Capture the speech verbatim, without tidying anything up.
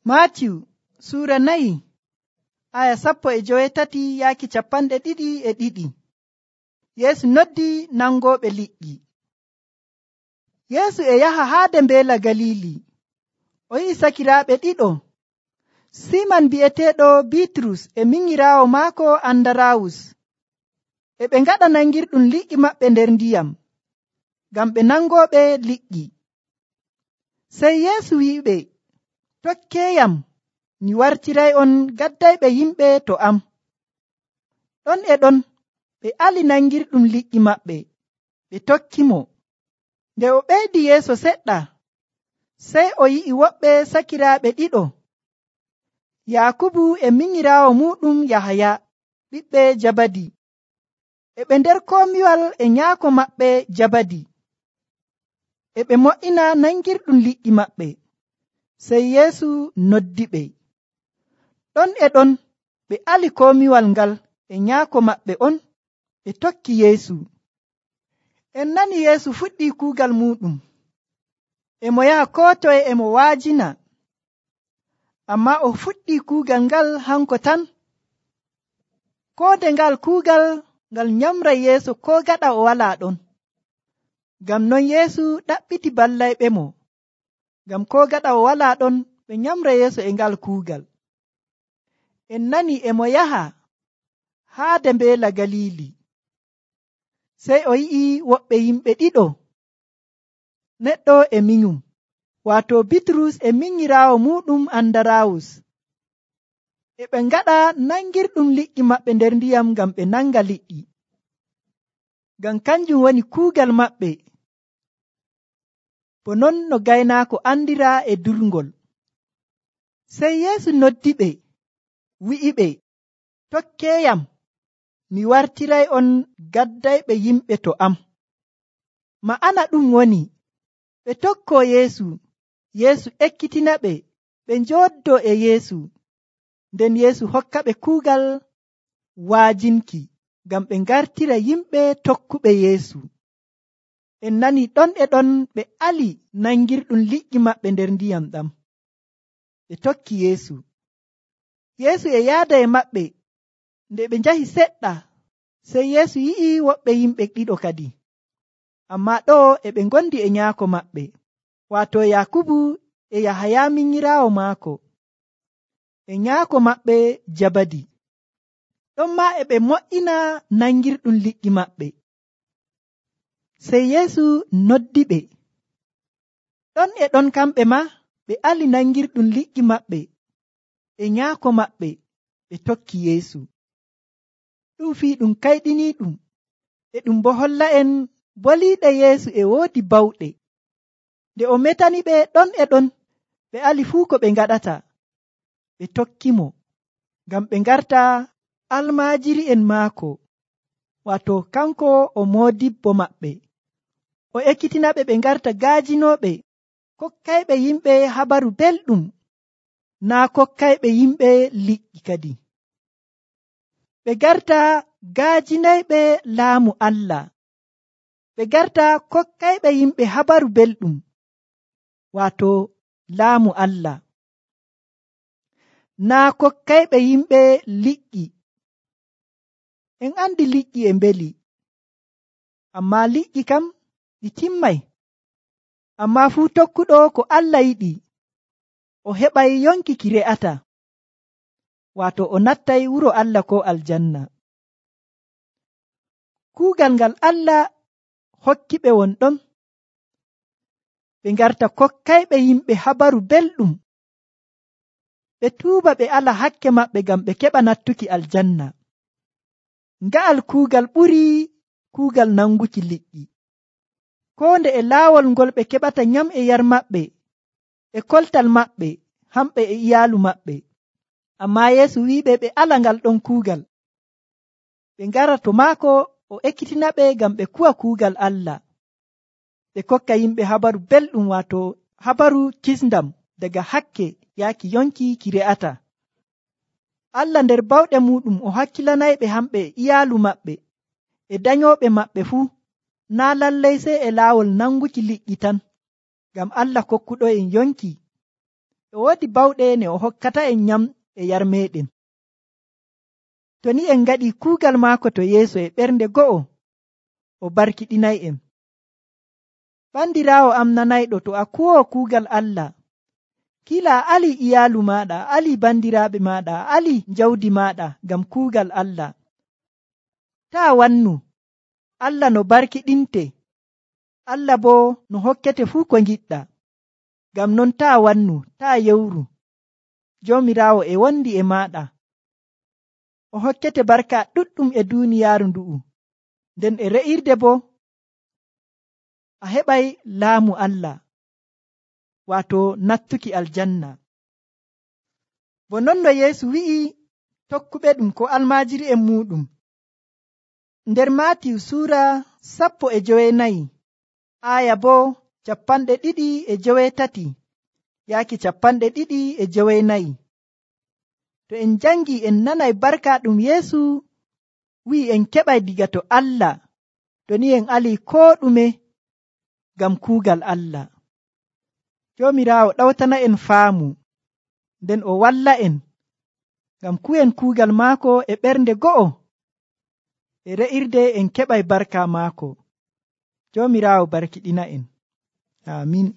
Maatiyu suura nayi aya sappo e joweetati yaaki capanɗe ɗiɗi e ɗiɗi. Yeesu noddi nangooɓe liƴƴi. Yeesu e yaha haade mbeela Galili. O yi'i sakiraaɓe ɗiɗo, Siman bi'eteeɗo Bitrus e minyiraawo maako Andarawus. E ɓe ngaɗa nangirɗum liƴƴi maɓɓe nder ndiyam, ngam ɓe nangooɓe liƴƴi. Sey Yeesu wi'iɓe, tokkeeyam, mi wartiray'on gaddayɓe yimɓe to am. Ɗon e ɗon ɓe ali nangirɗum liƴƴi maɓɓe, ɓe tokkimo. Nde o ɓeydi yeeso seɗɗa, sey o yi'i woɓɓe sakiraaɓe ɗiɗo, Yaakubu e minyiraawo muuɗum Yahaya, ɓiɓɓe Jabadi. E ɓe nder komiwal e nyaako maɓɓe Jabadi. E ɓe mo'ina nangirɗum liƴƴi maɓɓe. Sey Yeesu noddiɓe. Ɗon e ɗon ɓe ali komiwal ngal e nyaako maɓɓe on, ɓe tokki Yeesu. En nani Yeesu fuɗɗii kuugal muuɗum. E mo yaha koo toye e mo waajina. Ammaa o fuɗɗii kuugal ngal hanko tan. Koo nde ngal kuugal ngal nyamray yeeso koo gaɗa o walaa ɗon. Ngam non Yeesu ɗaɓɓiti ballayɓemo. Ngam koo gaɗa o walaa ɗon ɓe nyamra yeeso e ngal kuugal. En nani e mo yaha haade mbeela Galili. Sey o yi'i woɓɓe yimɓe ɗiɗo, neɗɗo e minyum, waato Bitrus e minyiraawo muuɗum Andarawus. E ɓe ngaɗa nangirɗum liƴƴi maɓɓe nder ndiyam ngam ɓe nanga liƴƴi. Ngam kanjum woni kuugal maɓɓe, bo non no gaynaako andiraa e durngol. Sey Yeesu noddiɓe, wi'iɓe, tokkeeyam, mi wartiray'on gaddayɓe yimɓe to am. Ma'ana ɗum woni, ɓe tokkoo Yeesu, Yeesu ekkitinaɓe, ɓe njooddoo e Yeesu, nden Yeesu hokkaɓe kuugal waajinki, ngam ɓe ngartira yimɓe tokkuɓe Yeesu. En nani ɗon e ɗon ɓe ali nangirɗum liƴƴi maɓɓe nder ndiyam ɗam. Ɓe tokki Yeesu. Yeesu e yaada e maɓɓe. Nde ɓe njahi seɗɗa, sey Yeesu yi'i woɓɓe yimɓe ɗiɗo kadi. Ammaa ɗo e ɓe ngondi e nyaako maɓɓe, waato Yaakubu e Yahaya minyiraawo maako, e nyaako maɓɓe Jabadi. Ɗonmaa e ɓe mo'ina nangirɗum liƴƴi maɓɓe. Sey Yeesu noddiɓe. Ɗon e ɗon kamɓe maa ɓe ali nangirɗum liƴƴi maɓɓe e nyaako maɓɓe, ɓe tokki Yeesu. Ɗum fii ɗum kayɗiniiɗum, e ɗum bo holla'en boliiɗe Yeesu e woodi bawɗe. Nde o metaniɓe ɗon e ɗon, ɓe ali fuu ko ɓe ngaɗata, ɓe tokkimo, ngam ɓe ngarta almaajiri'en maako, waato kanko o moodibbo maɓɓe. O ekkitinaɓe ɓe ngarta gaajinooɓe, kokkayɓe yimɓe habaru belɗum, naa kokkayɓe yimɓe liƴƴi kadi. Ɓe garta gaajinayɓe laamu Allah. Ɓe garta kokkayɓe yimɓe habaru belɗum, waato laamu Allah. Naa kokkayɓe yimɓe liƴƴi. En andi liƴƴi e mbeli, ammaa liƴƴi kam ɗi timmay. Ammaa fuu tokkuɗo ko Allah yiɗi, o heɓay yonki ki re'ata, waato o nattay wuro Allah ko aljanna. Kuugal ngal Allah hokkiɓe won ɗon, ɓe ngarta kokkayɓe yimɓe habaru belɗum, ɓe tuuba ɓe ala hakke maɓɓe ngam ɓe keɓa nattuki aljanna. Nga'al kuugal ɓurii kuugal nanguki liƴƴi. Koo nde e laawol ngol ɓe keɓata nyam e yar maɓɓe, e koltal maɓɓe, hamɓe e iyaalu maɓɓe. Ammaa Yeesu wi'iɓe ɓe ala ngal ɗon kuugal. Ɓe ngara to maako o ekkitinaɓe ngam ɓe kuwa kuugal Allah. Ɓe kokka yimɓe habaru belɗum, waato habaru kisndam daga hakke yaaki yonki ki re'ata. Allah nder bawɗe muɗum o hakkilanayɓe hamɓe e iyaalu maɓɓe e danyooɓe maɓɓe fuu, naa lallay sey e laawol nanguki liƴƴi tan, ngam Allah kokkuɗo en yonki e woodi bawɗe ne o hokkata en nyam e yar meɗen. To ni en ngaɗi kuugal maako to yeeso e ɓernde go'o, o barkiɗinay'en. Bandiraawo am nanayɗo, to a kuwoo kuugal Allah, kila a ali iyaalu maaɗa, a ali bandiraaɓe maaɗa, a ali jawdi maaɗa ngam kuugal Allah. Taa wannu, Allah no barkiɗinte, Allah boo no hokkete fuu ko ngiɗɗa. Ngam non taa wannu, taa yewru. Joomiraawo e wondi e maaɗa. O hokkete barka ɗuɗɗum e duuniyaaru ndu'u, nden e re'irde boo a heɓay laamu Allah, waato nattuki aljanna. Bo non no Yeesu wi'i tokkuɓe ɗum ko almaajiri'en muuɗum. Nder Maatiyu suura sappo e jowenayi, aaya boo capanɗe ɗiɗi e joweetati yaaki capanɗe ɗiɗi e jowenayi. To en jangi en nanay barka ɗum Yeesu wi'i en keɓay diga to Allah, to ni en alii koo ɗume ngam kuugal Allah. Joomiraawo ɗawtana en faamu, nden o walla en ngam kuwen kuugal maako e ɓernde go'o, e re'irde en keɓay barka maako. Joomiraawo barkiɗina en. Aamin.